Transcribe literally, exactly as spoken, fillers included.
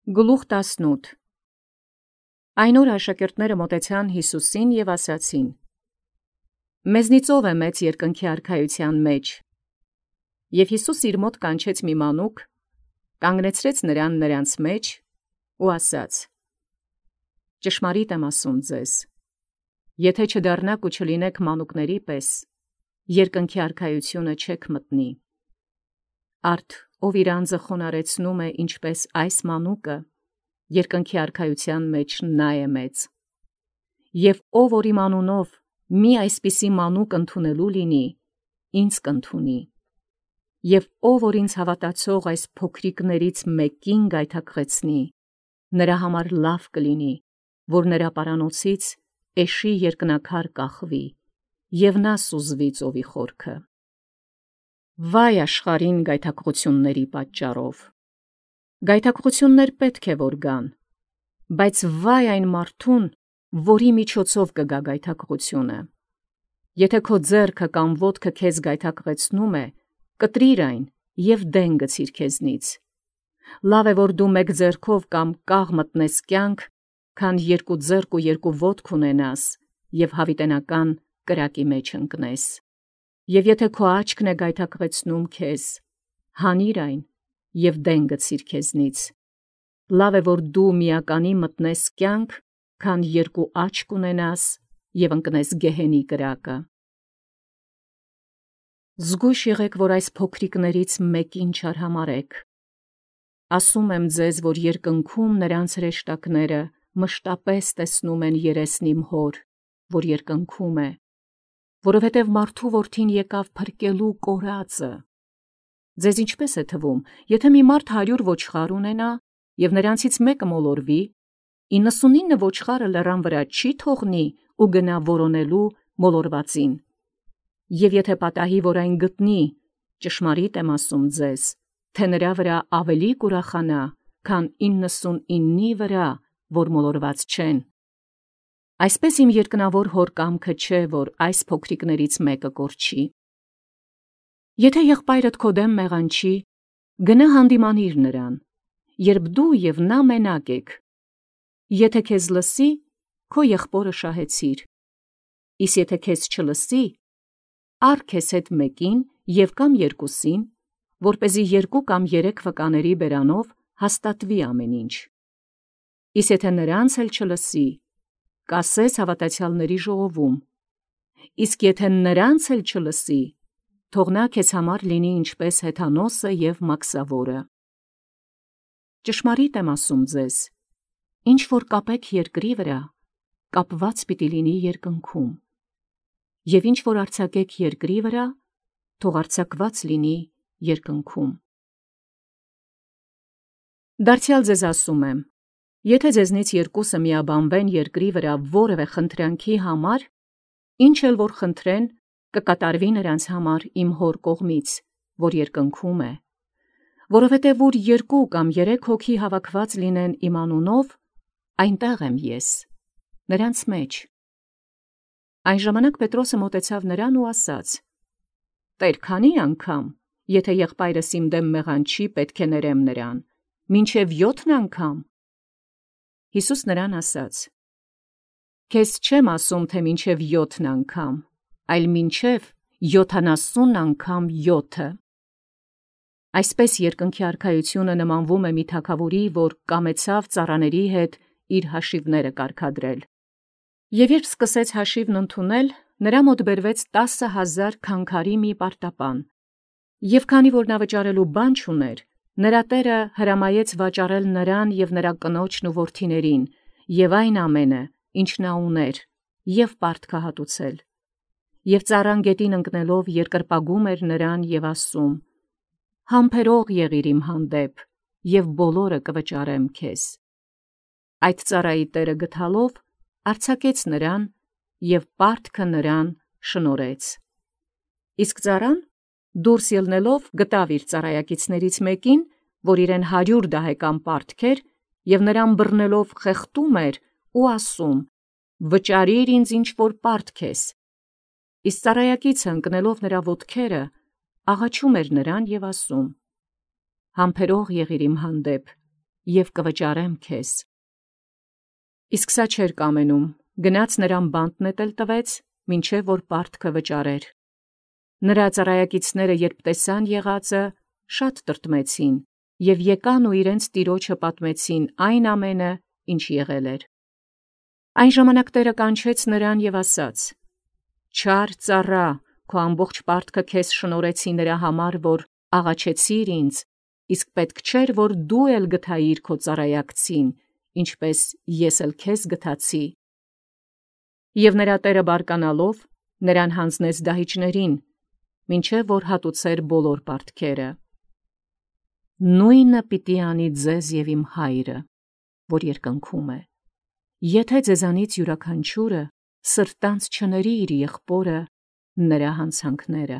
Գլուխ տասնութ Այն օր աշակերտները մոտեցան Յիսուսին և ասացին. «Մեզնից ո՞վ է մեծ երկնքի արքայության մեջ»։ Եւ Յիսուս իր մոտ կանչեց մի մանուկ, կանգնեցրեց նրան նրանց մեջ ու ասաց. «Ճշմարիտ եմ ասում ձեզ, եթե չդառնաք ու չլինեք մանուկների պես, երկնքի արքայությունը չեք մտնի։ Արդ ով իր անձը խոնարեցնում է ինչպես այս մանուկը, երկնքի արքայության մեջ նա է մեծ։ Եվ ով որ իմ անունով մի այսպիսի մանուկ ընդունելու լինի, ինձ կընդունի։ Եվ ով որ ինձ հավատացող այս փոքրիկներից մեկին գայթակղեցնի, նրա համար լավ կլինի, որ նրա պարանոցից էշի երկնաքար կախվի, և նա սուզվի ծովի խորքը։ Վայ աշխարհին գայթակղությունների պատճառով. գայթակղություններ պետք է որ գան, բայց վայ այն մարդուն, որի միջոցով կգա գայթակղությունը։ Եթե քո ձեռքը կամ ոտքը քեզ գայթակղեցնում է, կտրիր այն և դեն գցիր քեզնից։ Լավ է, որ դու մեկ ձեռքով կամ կաղ մտնես կյանք, քան երկու ձեռք ու երկու ոտք ունենաս և հավիտենական կրակի մեջ ընկնես։ Եվ եթե քո աչքն է գայթակղեցնում քեզ, հանիր այն և դեն գցիր քեզնից։ Լավ է, որ դու միականի մտնես կյանք, քան երկու աչք ունենաս և ընկնես գեհենի կրակը։ Զգույշ եղեք, որ այս փոքրիկներից մեկին չարհամարհեք։ Ասում եմ ձեզ, որ երկնքում նրանց հրեշտակները մշտապես տեսնում են երեսն իմ հոր, որ երկնքում է, որովհետև մարդու որդին եկավ փրկելու կորածը։ Ձեզ ինչպե՞ս է թվում, եթե մի մարդ հարյուր ոչխար ունենա, և նրանցից մեկը մոլորվի, իննսունինը ոչխարը լեռան վրա չի թողնի ու գնա որոնելու մոլորվածին։ Եվ եթե պատահի, որ այն գտնի, ճշմարիտ եմ ասում ձեզ, թե նրա վրա ավելի կուրախանա, քան իննսունինի վրա, որ մոլորված չեն։ Այսպես իմ երկնավոր հոր կամքը չէ, որ այս փոքրիկներից մեկը կորչի։ Եթե եղբայրդ քո դեմ մեղանչի, գնա հանդիմանիր նրան, երբ դու և նա մենակ եք։ Եթե քեզ լսի, քո եղբորը շահեցիր։ Իսկ եթե քեզ չլսի, առ քեզ հետ մեկին և կամ երկուսին, որպեսզի երկու կամ երեք վկաների բերանով հաստատվի ամեն ինչ։ Իսկ եթե նրանց էլ չլսի, կասես հավատացյալների ժողովում։ Իսկ եթե նրանց էլ չլսի, թող նա քեզ համար լինի ինչպես հեթանոսը և մաքսավորը։ Ճշմարիտ եմ ասում ձեզ, ինչ որ կապեք երկրի վրա, կապված պիտի լինի երկնքում, և ինչ որ արձակեք երկրի վրա, թող արձակված լինի երկնքում։ Դարձյալ ձեզ ասում եմ, եթե ձեզնից երկուսը միաբանվեն երկրի վրա որևէ խնդրանքի համար, ինչ էլ որ խնդրեն, կկատարվի նրանց համար իմ հոր կողմից, որ երկնքում է։ Որովհետև ուր երկու կամ երեք հոգի հավաքված լինեն իմ անունով, այնտեղ եմ ես, նրանց մեջ։ Այն ժամանակ Պետրոսը մոտեցավ նրան ու ասաց. «Տեր, քանի՞ անգամ, եթե եղբայրս իմ դեմ մեղանչի, պետք է ներեմ նրան, մինչև յոթն անգամ»։ Յիսուս նրան ասաց. «Քեզ չեմ ասում, թե մինչև յոթն անգամ, այլ մինչև յոթանասուն անգամ յոթը»։ Այսպես երկնքի արքայությունը նմանվում է մի թագավորի, որ կամեցավ ծառաների հետ իր հաշիվները կարգադրել։ Եվ երբ սկսեց հաշիվն ընդունել, նրա մոտ բերվեց տասը հազար քանքարի մի պարտապան։ Եվ քանի որ նա վճարելու բան չուներ, նրա տերը հրամայեց վաճառել նրան և նրա կնոջն ու որդիներին, և այն ամենը, ինչ նա ուներ, և պարտքը հատուցել։ Եվ ծառան գետին ընկնելով երկրպագում էր նրան և ասում. «Համբերող եղիր իմ հանդեպ, և բոլորը կվճարեմ քեզ»։ Այդ ծառայի տերը գթալով արձակեց նրան և պարտքը նրան շնորհեց։ Իսկ ծառան դուրս ելնելով գտավ իր ծառայակիցներից մեկին, որ իրեն հարյուր դահեկան պարտք էր, և նրան բռնելով խեղդում էր ու ասում. «Վճարիր ինձ ինչ որ պարտք ես»։ Իսկ ծառայակիցը ընկնելով նրա ոտքերը, աղաչում էր նրան և ասում. «Համբերող եղիր իմ հանդեպ, և կվճարեմ քեզ։ Իսկ սա չէր կամենում, գնաց նրան բանտ նետել տվեց, մինչև որ պարտքը վճարեր։ Նրա ծառայակիցները երբ տեսան եղածը, շատ տրտմեցին և եկան ու իրենց տիրոջը պատմեցին այն ամենը, ինչ եղել էր։ Այն ժամանակ Տէրը կանչեց նրան և ասաց. «Չար ծառա, քո ամբողջ պարտքը քեզ շնորհեցի նրա համար, որ աղաչեցիր ինձ, իսկ պետք չէր, որ դու էլ գթայիր քո ծառայակցին, ինչպես ես էլ քեզ գթացի»։ Եվ նրա տերը բարկանալով նրան յանձնեց դահիճներին, մինչև որ հատուցեր բոլոր պարտքերը։ Նույնը պիտի անի ձեզ և իմ Հայրը, որ երկնքում է, եթե ձեզանից յուրաքանչյուրը սրտանց չների իր եղբորը նրա հանցանքները։